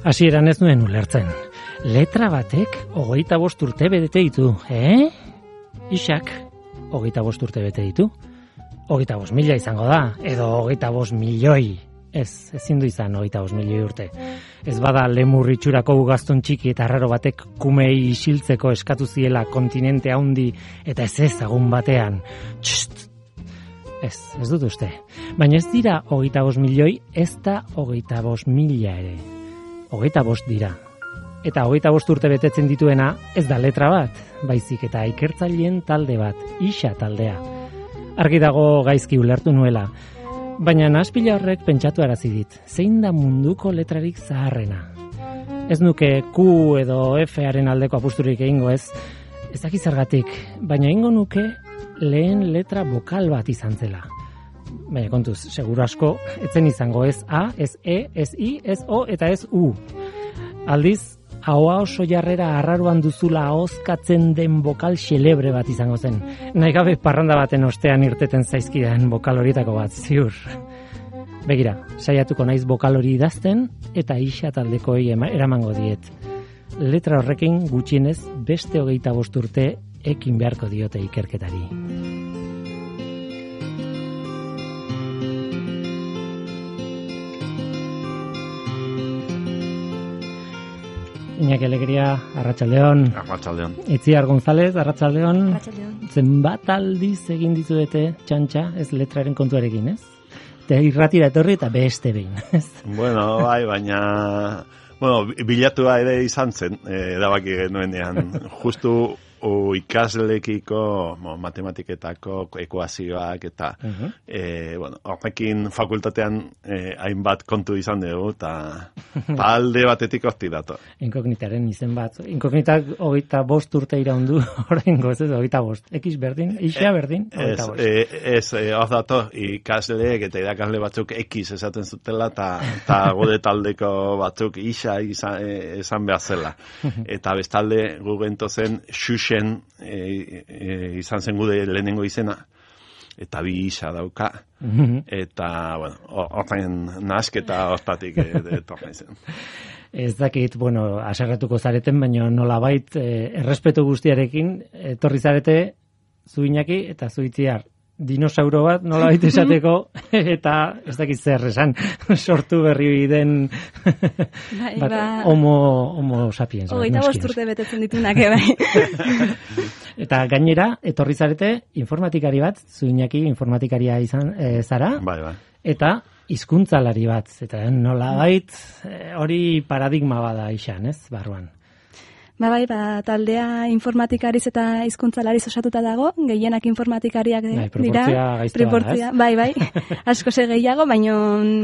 Hasieran ez nuen ulertzen. Letra batek 25 urte bete ditu, Isak, 25 urte bete ditu. 25.000 izango da, edo 25 milioi. Ezin du izan 25 milioi urte. Ez bada lemur itxurako ugaztun txiki eta arraro batek kumei isiltzeko eskatu ziela kontinente handi eta ez ezagun batean. Txt! Ez dut uste. Baina ez dira 25 milioi, ez da 25.000 ere. 25 dira. Eta 25 urte betetzen dituena ez da letra bat, baizik eta ikertzaileen talde bat, Isa taldea. Argi dago gaizki ulertu nuela. Baina nahaspila horrek pentsatu arazi dit, zein da munduko letrarik zaharrena. Ez nuke Q edo F-aren aldeko apusturik egingo ez dakit zergatik, baina egingo nuke lehen letra bokal bat izan zela. Baina kontuz, seguru asko, etzen izango ez A, ez E, ez I, ez O eta ez U. Aldiz, ahoa oso jarrera arraruan duzula ahozkatzen den bokal xelebre bat izango zen. Nahi gabe parranda baten ostean irteten zaizkidan bokal horietako bat, ziur. Begira, saiatuko naiz bokal hori idazten eta Isa taldekoei eramango diet. Letra horrekin gutxienez beste 25 urte ekin beharko diote ikerketari. Iñaki Alegria, Arratsaldeon. Arratsaldeon. Itziar González, Arratsaldeon. Arratsaldeon. Zenbat aldiz egin dizuete txantxa, ez letraren kontuarekin, ez? Te irratira etorri eta beste behin, ez? Bueno, bai, baina bilatua ere izan zen, erabaki genuenean. Justu ikaslekiko matematiketako ekuazioak eta horrekin fakultatean hainbat kontu izan dugu eta alde batetik horti dator. Inkognitaren izen bat. Inkognitak 25 urte iraundu, oraingo ez 25. X berdin, Isa berdin, 25. Ez, hor dator ikasleek eta irakasle batzuk X esaten zutela eta gode taldeko batzuk Isa esan behar zela. Eta bestalde gu gentozen Xuxe izan zen gude lehenengo izena eta bi Isa dauka eta hortain nahasketa hortatik etorren zen. Ez dakit, haserretuko zareten, baina nolabait errespetu guztiarekin etorri zarete zu Iñaki eta zu Itziar. Dinosauro bat nolabait esateko eta ez dakit zer esan sortu berri den homo sapiens. 25 urte betetzen ditunak, bai. Eta gainera, etorri zarete informatikari bat, zu Iñaki informatikaria izan zara, bai. Eta hizkuntzalari bat, eta nolabait hori paradigma bada izan, ez, barruan. Bai, taldea informatikariz eta hizkuntzalariz osatuta dago, gehienak informatikariak dira. Proportzia gaiztoa, bai, asko ze gehiago, baina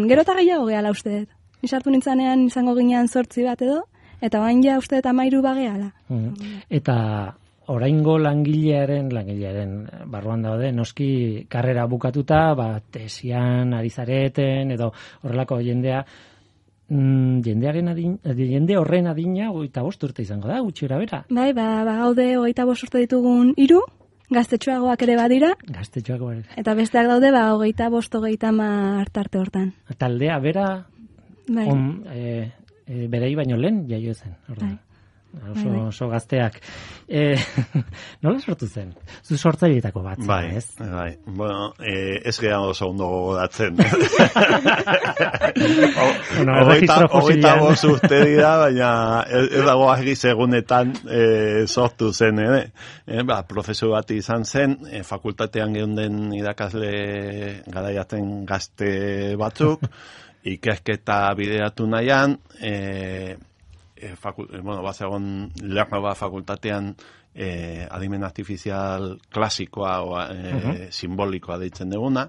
gero eta gehiago gehala uste dut. Nisartu nintzanean izango ginean 8 bat edo, eta bain ja uste dut 13 bagehala. Eta oraingo langilearen barruan daude, noski karrera bukatuta, tesian ari zareten, edo horrelako jendea, jende horren adina 25 urte izango da, gutxi bera. Bai, gaude 25 urte ditugun 3, gaztetxoagoak ere badira. Gaztetxoagoak ere. Eta besteak daude 25-30 tarte hortan. Taldea bera, bai. Berei baino lehen jaio zen. Bai. Oso gazteak. Nola sortu zen? Zu sortzaileetako bat, ez? Bai. Ez geha oso ondo gogoratzen. 25 urte dira, baina ez dago argi segunetan sortu zen, profesor bat izan zen, fakultatean geunden irakasle garaiaten gazte batzuk, ikerketa bideratu nahian, bazegon Lernoba fakultatean adimen artifizial klasikoa simbolikoa deitzen duguna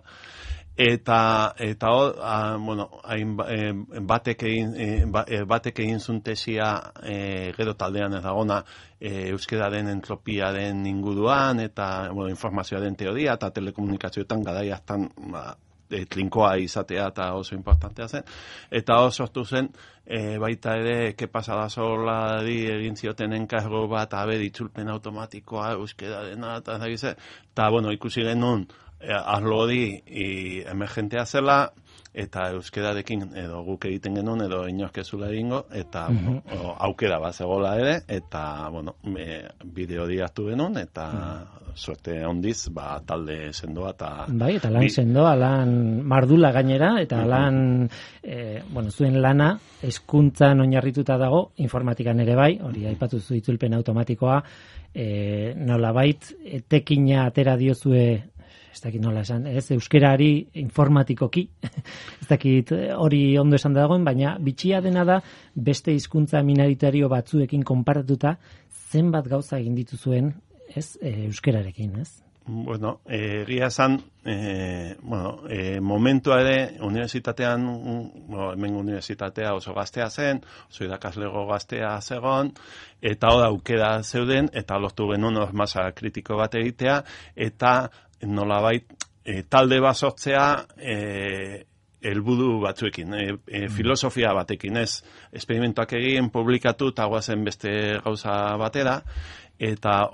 eta batek egin zuen tesia gero taldean ez dagona euskeraren entropiaren inguruan eta informazioaren teoria eta telekomunikazioetan garaiaztan trinkoa izatea eta oso importantea zen. Eta oso sortu zen, baita ere, kepasada solari egin zioten enkargo bat, ditzulpen automatikoa, euskerarena, eta ikusi genuen, arlo hori emergentea zela, eta euskerarekin edo guk egiten genuen edo inork ez zula egingo, eta aukera bat zegoela ere, eta bideo hartu genuen, eta suerte handiz, talde sendoa eta... Bai, eta lan sendoa, lan mardula gainera, eta lan, zuen lana, hezkuntzan oinarrituta dago, informatikan ere bai, hori aipatu zu itzulpen automatikoa, nolabait, etekina atera diozue, ez dakit nola esan, euskerari informatikoki, ez dakit hori ondo esan dagoen, baina bitxia dena da beste hizkuntza minoritario batzuekin konparatuta zenbat gauza egin dituzuen, euskerarekin, ez? Bueno, egia esan, momentua ere, unibertsitatean, hemen unibertsitatea oso gaztea zen, oso irakaslego gaztea zegoen, eta hor aukera zeuden, eta lortu genuen masa kritiko bat egitea, eta nolabait talde bat sortzea helburu batzuekin, filosofia batekin, ez esperimentuak egin, publikatu, eta guazen beste gauza batera, eta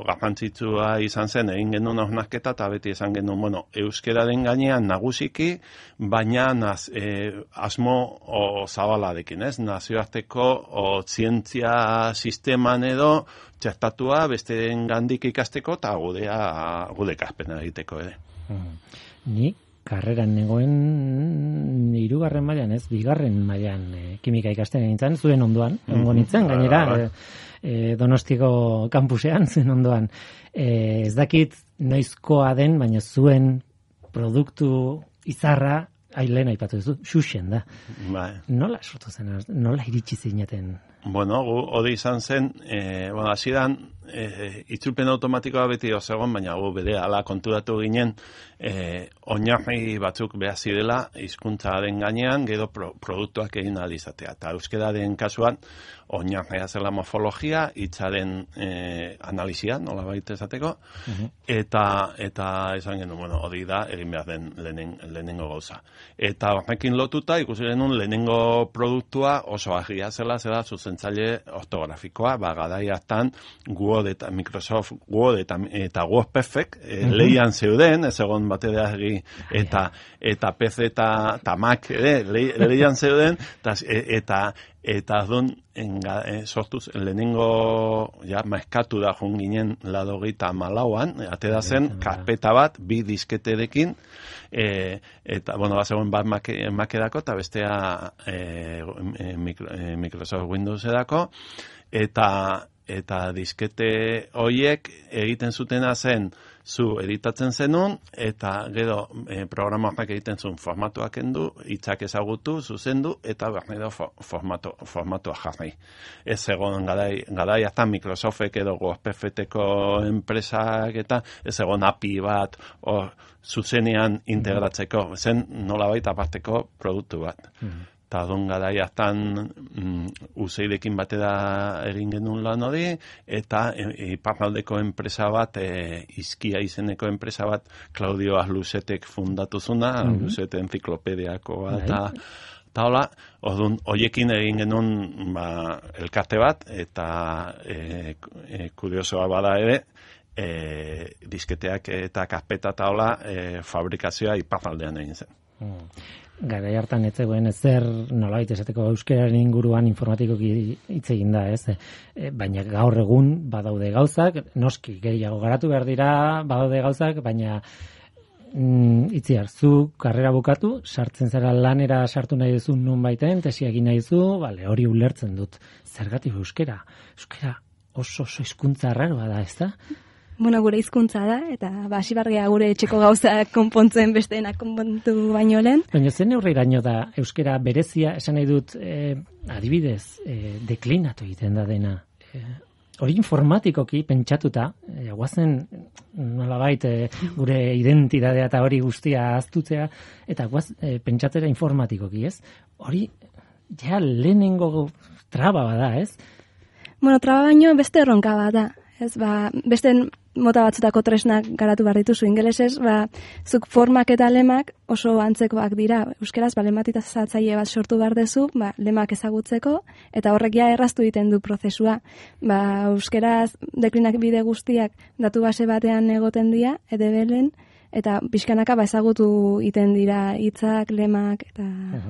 garrantzitsua izan zen, egin genuen hausnarketa, eta beti esan genuen, euskeraren gainean nagusiki, baina asmo zabalarekin, ez? Nazioarteko zientzia sisteman edo txertatua besteen gandik ikasteko, eta gude kaspena egiteko ere. Ni karreran negoen 3. mailan, ez, 2. mailan kimika ikasten nintzen, zuen ondoan, ongo nintzen, gainera, Donostiko kampusean, zen ondoan. Ez dakit noizkoa den, baina zuen produktu izarra, lehen aipatu duzu, xuxen da. Nola sortu zen, nola iritsi zineten? Bueno, hori izan zen, hasieran itzulpen automatikoa beti osegon, baina berehala konturatu ginen, oinarri batzuk behar zirela hizkuntzaren gainean, gero produktuak egin ahal izatea. Eta euskeraren kasuan, oinarria zela morfologia, hitzaren analizia, nolabait esateko, eta esan genuen, hori da, egin behar den lehenengo gauza. Eta horrekin lotuta, ikusi genuen lehenengo produktua oso argia zela zuzentzaile ortografikoa, garai hartan Word eta Microsoft Word eta WordPerfect leian zeuden, ez egon batera egi, eta PC eta Mac leian zeuden, eta adun sortuz lehenengo maeskatu da joan ginen 84an, atera zen karpeta bat, 2 disketerekin, eta, bazegoen bat Macerako eta bestea Microsoft Windowserako, eta diskete horiek egiten zutena zen zu editatzen zenun, eta gero programak egiten zuen formatuak kendu, hitzak ezagutu, zuzendu, eta bernero formatua jarri. Ez egon garai hartan Microsoftek edo WordPerfecteko enpresak eta ez egon API bat zuzenean integratzeko, zen nolabait aparteko produktu bat. Eta garai hartan USAIDekin batera egin genuen lan hori, eta iparraldeko enpresa bat, Izkia izeneko enpresa bat, Claudio Arlusetek fundatu zuna, Arlusete enziklopediako bat, eta hola, horiekin egin genuen elkarte bat, eta kuriosoa bada ere, disketeak eta karpeta eta hola, fabrikazioa iparraldean egin zen. Garai hartan ez zegoen ezer nolabait esateko euskararen inguruan informatikoki hitz egin da, ez? Baina gaur egun badaude gauzak, noski gehiago garatu behar dira, badaude gauzak, baina itziar, zu karrera bukatu, sartzen zara lanera sartu nahi duzu nun baiten, tesia egin nahi duzu, hori ulertzen dut. Zergatik euskara? Euskara oso hizkuntza arraroa da, ez da? Gure hizkuntza da, eta hasibargia gure etxeko gauzak konpontzen besteenak konpontu baino lehen. Baina zen neurriraino da euskara berezia, esan nahi dut, adibidez, deklinatu egiten da dena. Hori informatikoki pentsatuta, guazen nolabait gure identitatea eta hori guztia ahaztutzea, eta guaz pentsatzera informatikoki, ez? Hori, ja lehenengo traba bada, ez? Traba baino beste erronka bat da. Ez, beste mota batzutako tresnak garatu behar dituzu ingelesez, zuk formak eta lemak oso antzekoak dira. Euskeraz, lematizatzaile bat sortu behar dezu, lemak ezagutzeko, eta horrek ja erraztu egiten du prozesua. Euskeraz, deklinak bide guztiak datu base batean egoten dira, edebelen, eta pixkanaka ezagutu iten dira hitzak, lemak, eta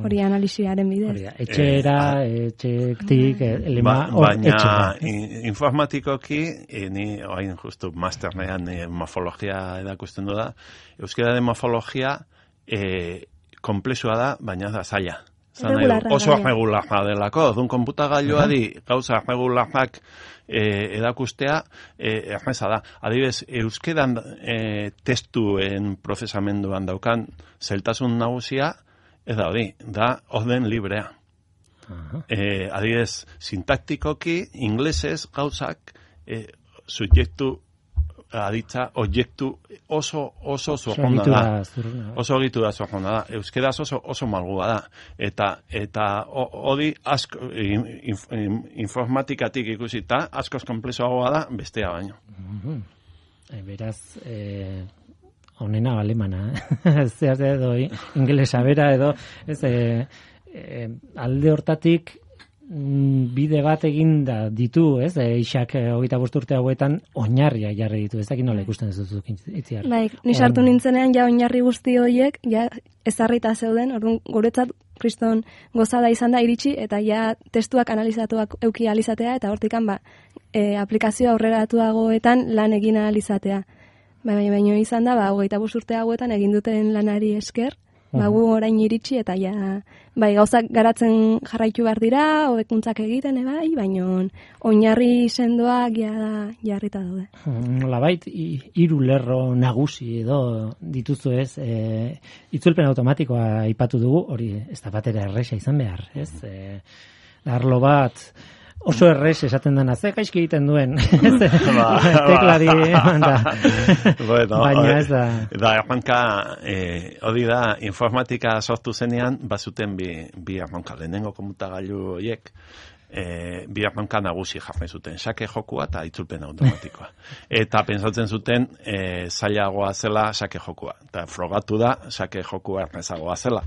hori analisiaren bidez. Etxetik, lema baina informatikoki, ni orain justu masternean morfologia edakusten du da, euskararen morfologia komplexua da, baina da zaila. Oso arregularra delako, dun konputagailua gauza arregularrak edakustea erreza da. Adibidez, euskeran testuen prozesamenduan daukan zeltasun nagusia, ez da hori, da orden librea. Adibidez, sintaktikoki, inglesez gauzak subjektu aditza, objektu oso zurruna da. Oso egitura zurruna da. Euskeraz oso malgua da. Eta hori asko informatikatik ikusita, askoz komplexoagoa da, bestea baino. Beraz, honena alemana, zer edo ingelesa bera edo, ez, alde hortatik bide bat egin da ditu, ez? Ixak 25 urte hauetan oinarria jarri ditu. Ez dakit nola ikusten ez duzuk itziar. Bai, ni sartu nintzenean ja oinarri guzti horiek ja ezarrita zeuden. Orduan guretzat kriston gozada izan da iritsi eta ja testuak analizatuak eduki alizatea eta hortikan aplikazio aurreratuagoetan lan egin alizatea. Baina izan da 25 urte hauetan egin duten lanari esker. Gu orain iritsi eta gauzak garatzen jarraitu behar dira, hobekuntzak egiten, baina oinarri sendoak jarrita daude. Nolabait, 3 lerro nagusi edo dituzu ez, itzulpen automatikoa aipatu dugu, hori ez da batera erresa izan behar, ez? Arlo bat oso errez esaten dena, ze gaizki egiten duen, teklari eman da. Baina ez da. Da, erronka, hori da, informatika sortu zenean, bazuten bi erronka, lehenengo komutagailu horiek, bi erronka nagusi jarri zuten, sake jokua eta itzulpen automatikoa. Eta pentsatzen zuten, zailagoa zela sake jokua. Eta frogatu da, sake jokua errezagoa zela.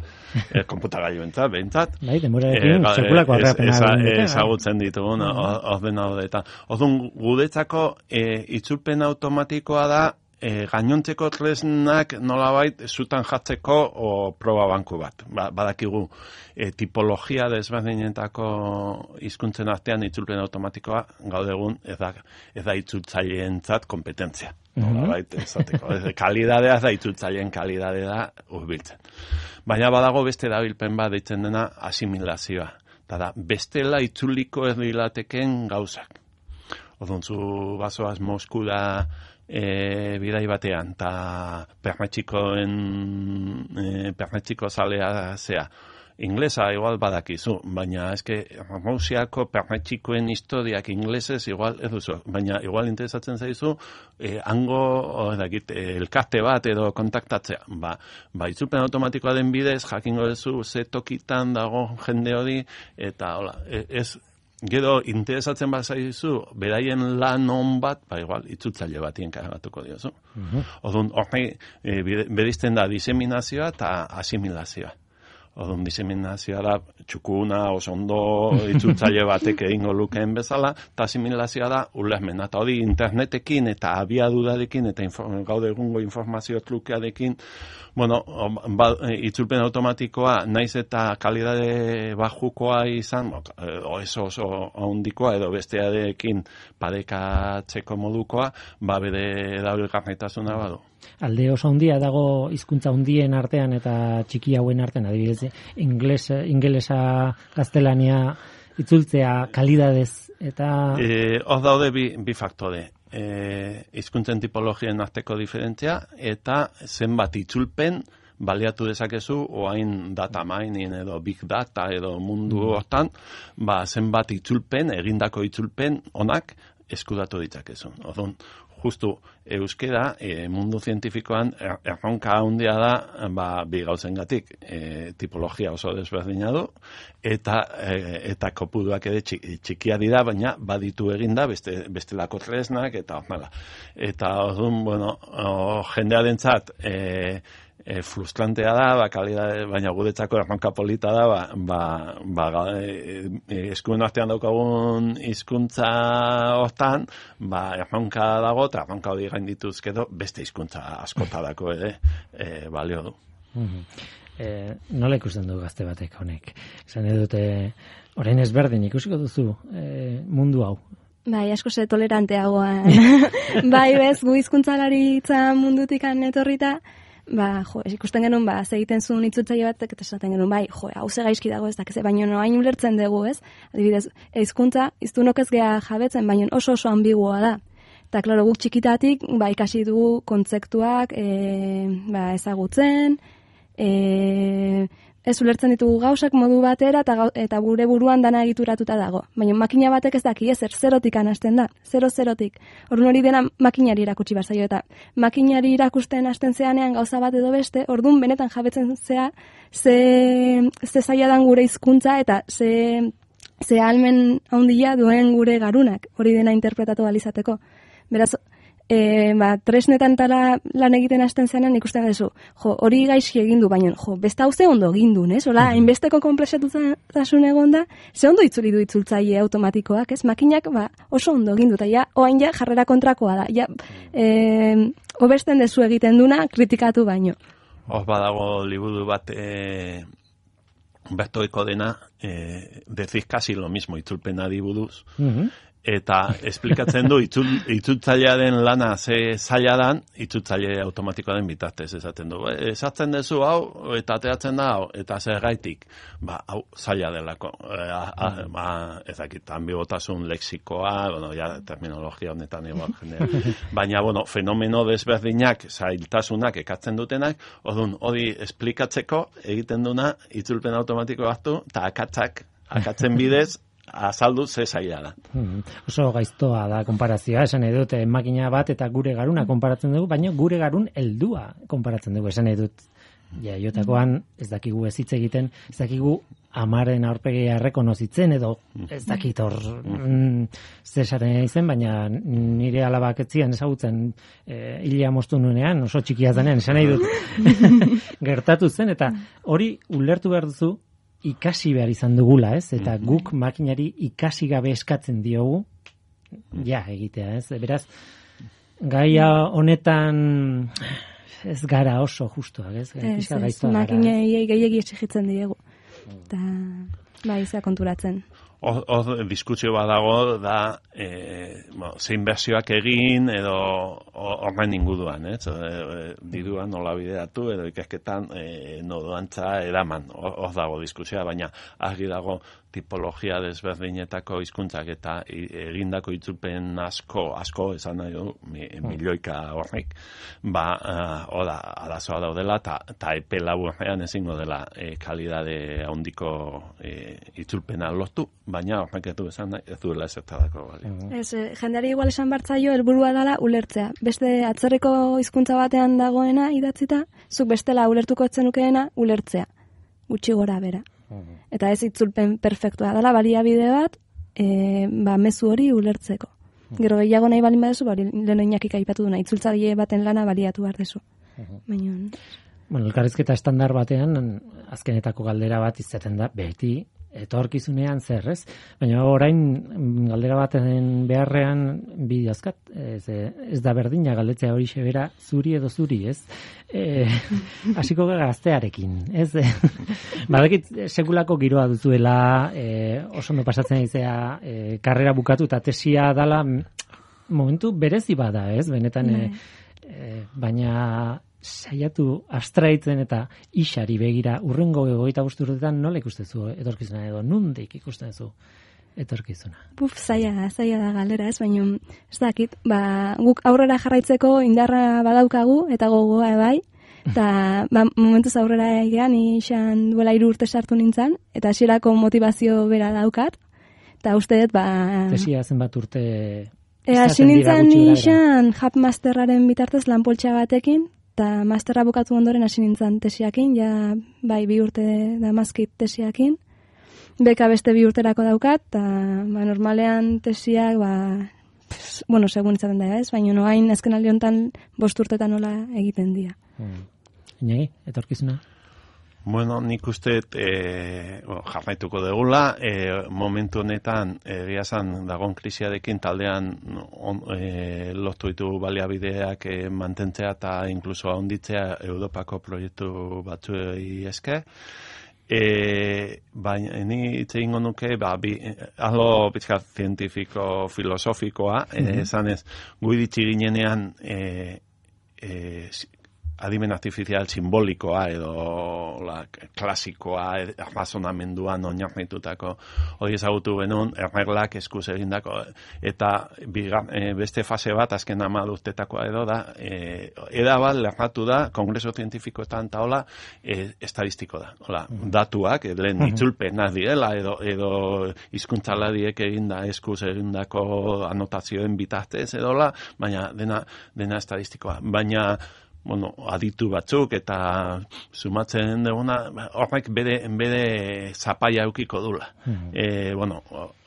Komputagailu behintzat. Bai, demorarekin, sekulako arrapena. Ezagutzen ditugun, ordenadore. Orduan, guretzako itzulpen automatikoa da, gainontzeko tresnak nolabait zutan jartzeko proba banku bat. Badakigu tipologia desberdinetako hizkuntzen artean itzulpen automatikoa gaur egun ez da itzultzaileentzat kompetentzia. Nolabait esateko. Kalidadea ez da itzultzaileen kalidadea da hurbiltzen. Baina badago beste erabilpen bat deitzen dena asimilazioa. Da, bestela itzuliko ez dilateken gauzak. Orduan zu bazoaz Moskura bidai batean, eta permetxiko zalea zea. Inglesa igual badakizu, baina eske Rusiako permetxikoen historiak inglesez igual ez duzu, baina igual interesatzen zaizu hango elkarte bat edo kontaktatzea. Itzulpen automatikoa den bidez, jakingo duzu ze tokitan dago jende hori, eta hola, ez gero interesatzen bazaizu, beraien lan on bat, igual, itzultzaile batien kargatuko diozu. Orduan, horrei, berizten da diseminazioa eta asimilazioa. Orduan, diseminazioa da txukuna, osondo, itzultzaile batek egingo lukeen bezala, eta asimilazioa da ulermena. Eta hori internetekin eta abiadurarekin eta gaur egungo informazio trukearekin, itzulpen automatikoa naiz eta kalidade bajukoa izan, oso handikoa edo bestearekin parekatzeko modukoa, bere erabilgarritasuna badu. Alde oso handia dago hizkuntza handien artean eta txiki hauen artean, adibidez, ingelesa, gaztelania itzultzea kalidadez eta... Hor daude bi faktore. Hizkuntzen tipologien arteko diferentzia eta zenbat itzulpen baliatu dezakezu oain data mining edo big data edo mundu hortan, zenbat itzulpen, egindako itzulpen onak eskudatu ditzakezu. Orduan, justu euskera mundu zientifikoan erronka handia da bi gauzengatik, tipologia oso desberdina du eta kopuruak ere txikia dira, baina baditu eginda bestelako tresnak eta horrela. Eta orduan, jendearentzat frustrantea da, baina guretzako erronka polita da, eskuen artean daukagun hizkuntza hortan, erronka dago, eta erronka hori gaindituzkedo beste hizkuntza askotarako ere balio du. Nola ikusten du gazte batek honek? Esan edute, orain ezberdin ikusiko duzu mundu hau? Bai, asko ze toleranteagoa. Bai, bez, gu hizkuntzalaritza mundutik etorrita, ikusten genuen, ze egiten zuen itzultzaile batek, eta esaten genuen, hau ze gaizki dago ez dakize, baina noain ulertzen dugu, ez? Adibidez, hizkuntza, iztunok ez geha jabetzen, baina oso ambiguoa da. Eta, klaro, guk txikitatik, ikasi dugu kontzeptuak ezagutzen, ez ulertzen ditugu gauzak modu batera eta gure buruan dana egituratuta dago. Baina makina batek ez daki, zerotik hasten da, zerotik. Orduan hori dena makinari irakutsi barzaio eta makinari irakusten hasten zeanean gauza bat edo beste, orduan benetan jabetzen zea ze zaila dan gure hizkuntza eta ze ahalmen handia duen gure garunak, hori dena interpretatu alizateko. Beraz, tresnetan tala lan egiten hasten zenan ikusten duzu, hori gaizki egindu, baina, beste hau ze ondo egindu, ez? Hola, hainbesteko konplexatutasun egon da, ze ondo itzuli du itzultzaile automatikoak, ez? Makinak, oso ondo egindu, eta oain jarrera kontrakoa da, hobesten dezu egiten duna, kritikatu baino. Hor badago liburu bat, bertoeko dena, decís casi lo mismo, itzulpenari buruz, eta esplikatzen du itzultzailearen lana ze zaila dan, itzultzaile automatikoaren bitartez esaten du. Esatzen duzu hau, eta ateratzen da hau, eta zergaitik, hau zaila delako. Ezakit, ambigotasun lexikoa, terminologia honetan egon jendea. Baina, fenomeno desberdinak, zailtasunak ekatzen dutenak, hori esplikatzeko egiten duna itzulpen automatiko hartu, eta akatzen bidez, azaldu ze zaila da. Oso gaiztoa da konparazioa, esan edut makina bat eta gure garuna konparatzen dugu, baina gure garun heldua konparatzen dugu, esan edut jotakoan ez dakigu ez hitz egiten, ez dakigu amaren aurpegia errekonozitzen edo ez dakit hor zesaren izen, baina nire alabak etzian ezagutzen hilia moztu nuenean, oso txikia zenean, esan nahi dut gertatu zen, eta hori ulertu behar duzu ikasi behar izan dugula, ez? Eta guk makinari ikasi gabe eskatzen diogu, egitea, ez? Beraz, gaia honetan ez gara oso justuak, ez? Ez, makinei gehiegi exigitzen diegu. Eta, izea konturatzen. Hor diskusio badago da zein bersioak egin edo horren inguruan, diruan nola bideratu edo ikasketan nodoantza eraman, hor dago diskusioa, baina argi dago tipologia desberdinetako hizkuntzak eta egindako itzulpen asko esan nahi du, milioika horrek, arazoa daudela eta epe laburrean ezingo dela kalidade handiko itzulpena lortu, baina horrek ez duela ezertarako. Jendeari igual esan bartzaio helburua dela ulertzea. Beste atzerriko hizkuntza batean dagoena idatzita, zuk bestela ulertuko etzen nukeena ulertzea. Gutxi gora bera. Eta ez itzulpen perfektua dela, baliabide bat, mezu hori ulertzeko. Gero gehiago nahi balin badezu, lehen inakik aipatu duna, itzultzaile baten lana baliatu behar dezu. Elkarrizketa estandar batean, azkenetako galdera bat izaten da, beti, etorkizunean zer, ez? Baina orain galdera baten beharrean bi azkat, ez da berdina galdetzea hori xebera zuri edo zuri, ez? Hasiko gaztearekin, ez? Badakit sekulako giroa duzuela, oso ondo pasatzen izea, karrera bukatu eta tesia dala momentu berezi bada, ez? Benetan, baina saiatu abstraitzen eta isari begira urrengo 25 urtetan nola ikustezu etorkizuna edo nondik ikusten duzu etorkizuna? Zaila da galdera, ez, baina ez dakit, guk aurrera jarraitzeko indarra badaukagu eta gogoa bai, eta momentuz aurrera egean izan duela 3 urte sartu nintzen, eta hasierako motivazio bera daukat, eta uste dut, tesia zenbat urte hasi nintzen izan Hub Masterraren bitartez lanpoltsa batekin, eta masterra bukatu ondoren hasi nintzen tesiakin, 2 urte damazkit tesiakin, beka beste 2 urterako daukat, eta normalean tesiak, segun izaten da ez, baina noain azken aldi honetan 5 urtetan nola egiten dira. Inegi, etorkizuna? Bueno, nik uste jarraituko degula, momentu honetan egia esan dagoen krisiarekin taldean lortu ditu baliabideak mantentzea eta inkluso handitzea Europako proiektu batzuei esker. Baina ni hitz egingo nuke arlo pizkat zientifiko filosofikoa, esanez gu iritsi ginenean adimen artifizial simbolikoa edo klasikoa razonamenduan oinarritutako hori ezagutu genuen erreglak eskuz egindako eta beste fase bat azken 10 urtetakoa edo da bat lerratu da kongreso zientifikoetan eta hola estadistiko da. Hola, datuak lehen itzulpenak direla edo hizkuntzalariek eginda eskuz egindako anotazioen bitartez edola, baina dena estadistikoa. Baina aditu batzuk eta sumatzen duguna, horrek bere zapaia eukiko dula.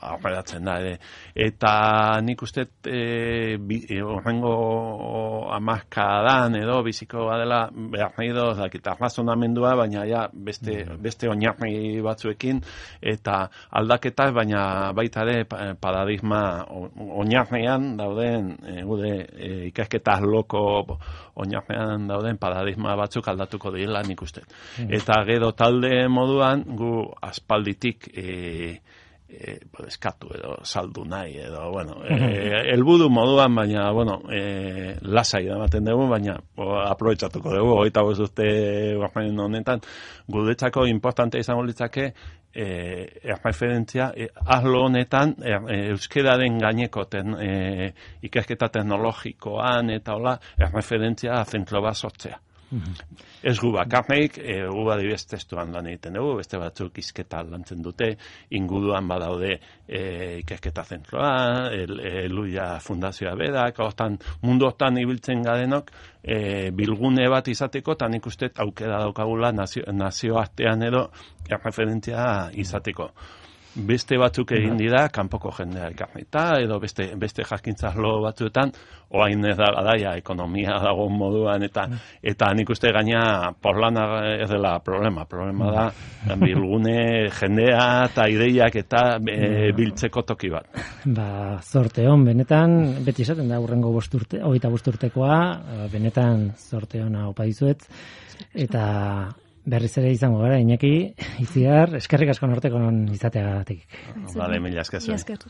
Aurreratzen da. Eta nik uste horrengo hamarkadan edo biziko badela behar nahi eta razonamendua, baina ja beste oinarri batzuekin eta aldaketak, baina baita ere paradigma oinarrian dauden gude ikasketa loko oinarrian dauden paradigma batzuk aldatuko direla nik uste. Eta gero talde moduan gu aspalditik eskatu edo saldu nahi edo, helburu moduan, baina, lasai ematen dugu, baina aprobetxatuko dugu, 25 urte honetan, guretzako importante izango litzake erreferentzia, arlo honetan, euskeraren gaineko ikasketa teknologikoan eta hola, erreferentzia zentro bat sortzea. Ez gu bakarrik, gu adibidez testuan lan egiten dugu, beste batzuk hizketa lantzen dute, inguruan badaude ikasketa zentroa, Luia Fundazioa berak, mundu hortan ibiltzen garenok, bilgune bat izateko, eta nik uste aukera daukagula nazioartean edo erreferentzia izateko. Beste batzuk egin dira, kanpoko jendea ekarrita, edo beste jakintzarlo batzuetan, oain ez da daia ekonomia dago moduan, eta nik uste gaina porlana ez dela problema da bilgune jendea eta ideiak eta biltzeko toki bat. Zorte hon, benetan, beti esaten da hurrengo 25 urtekoa, benetan zorte hona opa dizuet, eta berriz ere izango gara, Iñaki, Itziar, eskerrik asko Nortekonon izateagatik. Mila esker.